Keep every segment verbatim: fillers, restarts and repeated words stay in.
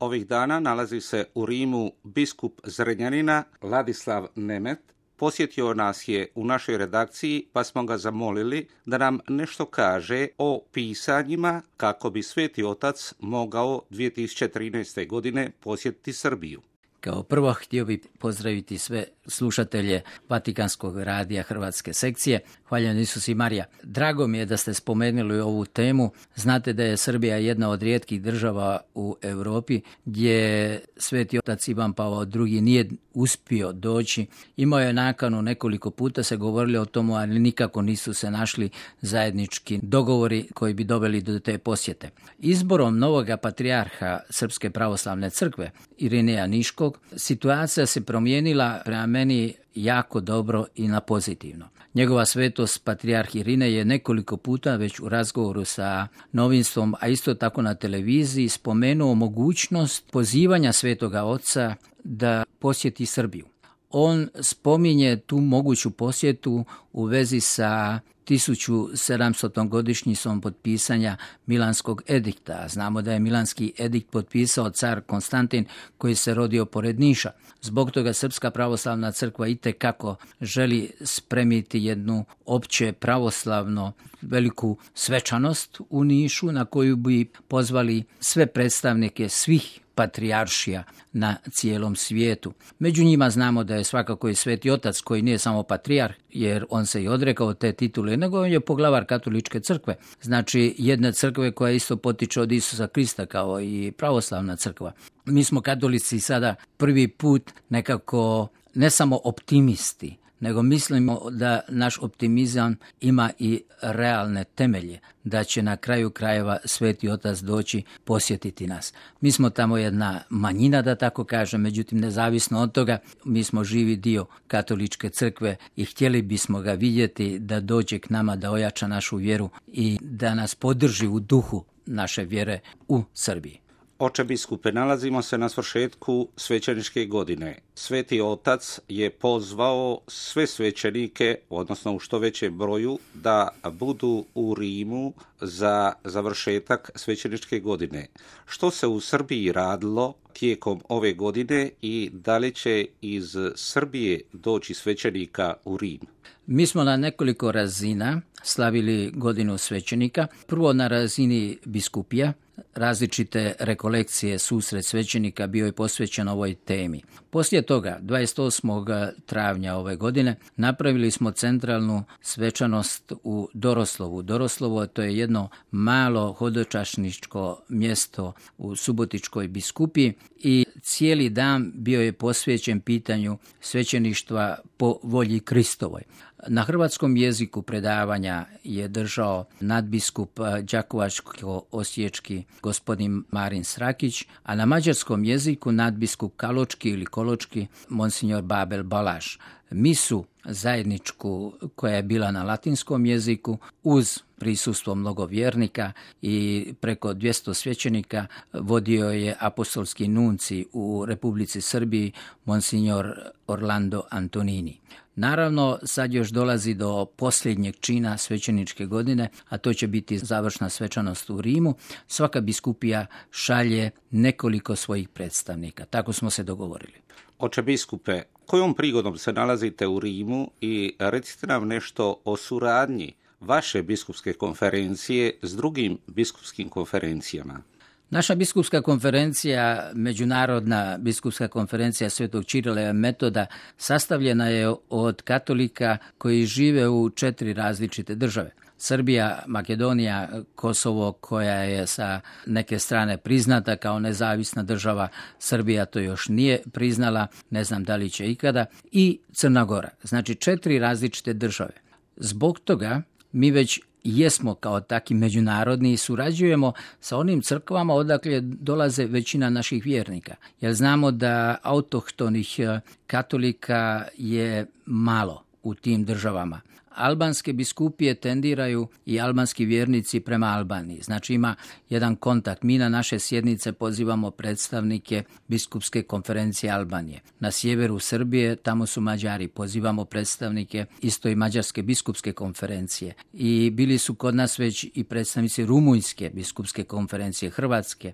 Ovih dana nalazi se u Rimu biskup Zrenjanina Ladislav Nemet. Posjetio nas je u našoj redakciji, pa smo ga zamolili da nam nešto kaže o pisanjima kako bi Sveti Otac mogao dvije tisuće trinaeste. godine posjetiti Srbiju. Kao prvo htio bih pozdraviti sve slušatelje Vatikanskog radija Hrvatske sekcije. Hvaljen Isus i Marija. Drago mi je da ste spomenuli ovu temu. Znate da je Srbija jedna od rijetkih država u Europi gdje Sveti Otac Ivan Pavao drugi nije uspio doći. Imao je nakanu, nekoliko puta se govorili o tomu, ali nikako nisu se našli zajednički dogovori koji bi doveli do te posjete. Izborom novoga patrijarha Srpske pravoslavne crkve, Irineja Niškog, situacija se promijenila prema meni jako dobro i na pozitivno. Njegova svetost patrijarh Irinej je nekoliko puta već u razgovoru sa novinstvom, a isto tako na televiziji, spomenuo mogućnost pozivanja Svetoga Oca da posjeti Srbiju. On spominje tu moguću posjetu u vezi sa tisuću sedamstotom godišnjicom potpisanja Milanskog edikta. Znamo da je Milanski edikt potpisao car Konstantin koji se rodio pored Niša. Zbog toga Srpska pravoslavna crkva itekako želi spremiti jednu opće pravoslavno veliku svečanost u Nišu na koju bi pozvali sve predstavnike svih patrijaršija na cijelom svijetu. Među njima znamo da je svakako i Sveti Otac koji nije samo patrijarh, jer on se i odrekao te titule, nego on je poglavar katoličke crkve. Znači jedne crkve koja isto potiče od Isusa Krista kao i pravoslavna crkva. Mi smo katolici sada prvi put nekako ne samo optimisti, nego mislimo da naš optimizam ima i realne temelje, da će na kraju krajeva Sveti Otac doći posjetiti nas. Mi smo tamo jedna manjina, da tako kažem, međutim nezavisno od toga, mi smo živi dio katoličke crkve i htjeli bismo ga vidjeti da dođe k nama, da ojača našu vjeru i da nas podrži u duhu naše vjere u Srbiji. Oče biskupe, nalazimo se na svršetku svećeničke godine. Sveti Otac je pozvao sve svećenike, odnosno u što većem broju, da budu u Rimu za završetak svećeničke godine. Što se u Srbiji radilo tijekom ove godine i da li će iz Srbije doći svećenika u Rim? Mi smo na nekoliko razina slavili godinu svećenika. Prvo na razini biskupija, različite rekolekcije, susret svećenika bio je posvećen ovoj temi. Poslije toga, dvadeset osmog travnja ove godine, napravili smo centralnu svečanost u Doroslovu. Doroslovo to je jedno malo hodočašničko mjesto u Subotičkoj biskupiji i cijeli dan bio je posvećen pitanju svećeništva po volji Kristovoj. Na hrvatskom jeziku predavanja je držao nadbiskup Đakovačko-osječki gospodin Marin Srakić, a na mađarskom jeziku nadbiskup Kaločki ili Koločki monsignor Babel Balaš. Misu zajedničku koja je bila na latinskom jeziku uz prisustvo mnogo vjernika i preko dvjesto svećenika vodio je apostolski nunci u Republici Srbiji monsignor Orlando Antonini. Naravno, sad još dolazi do posljednjeg čina svećeničke godine, a to će biti završna svečanost u Rimu. Svaka biskupija šalje nekoliko svojih predstavnika. Tako smo se dogovorili. Oče biskupe, kojom prigodom se nalazite u Rimu i recite nam nešto o suradnji vaše biskupske konferencije s drugim biskupskim konferencijama? Naša biskupska konferencija, Međunarodna biskupska konferencija Svetog Čirila i Metoda, sastavljena je od katolika koji žive u četiri različite države. Srbija, Makedonija, Kosovo koja je sa neke strane priznata kao nezavisna država, Srbija to još nije priznala, ne znam da li će ikada, i Crna Gora. Znači četiri različite države. Zbog toga mi već jesmo kao taki međunarodni i surađujemo sa onim crkvama odakle dolaze većina naših vjernika. Jer znamo da autohtonih katolika je malo u tim državama. albanske biskupije tendiraju i albanski vjernici prema Albaniji. Znači ima jedan kontakt. Mi na naše sjednice pozivamo predstavnike biskupske konferencije Albanije. Na sjeveru Srbije, tamo su Mađari, pozivamo predstavnike isto i Mađarske biskupske konferencije. I bili su kod nas već i predstavnici Rumunjske biskupske konferencije, Hrvatske,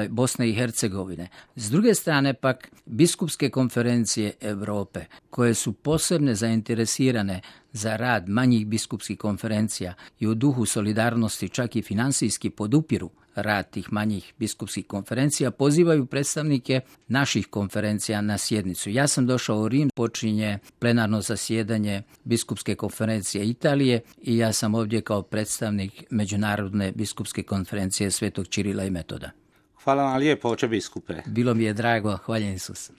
Bosne i Hercegovine. S druge strane pak biskupske konferencije Europe, koje su posebne zainteresirane za rad manjih biskupskih konferencija i u duhu solidarnosti čak i finansijski podupiru rad tih manjih biskupskih konferencija, pozivaju predstavnike naših konferencija na sjednicu. Ja sam došao u Rim, počinje plenarno zasjedanje biskupske konferencije Italije i ja sam ovdje kao predstavnik Međunarodne biskupske konferencije Svetog Čirila i Metoda. Hvala vam lijepo, oče biskupe. Bilo mi je drago, hvaljen Isus.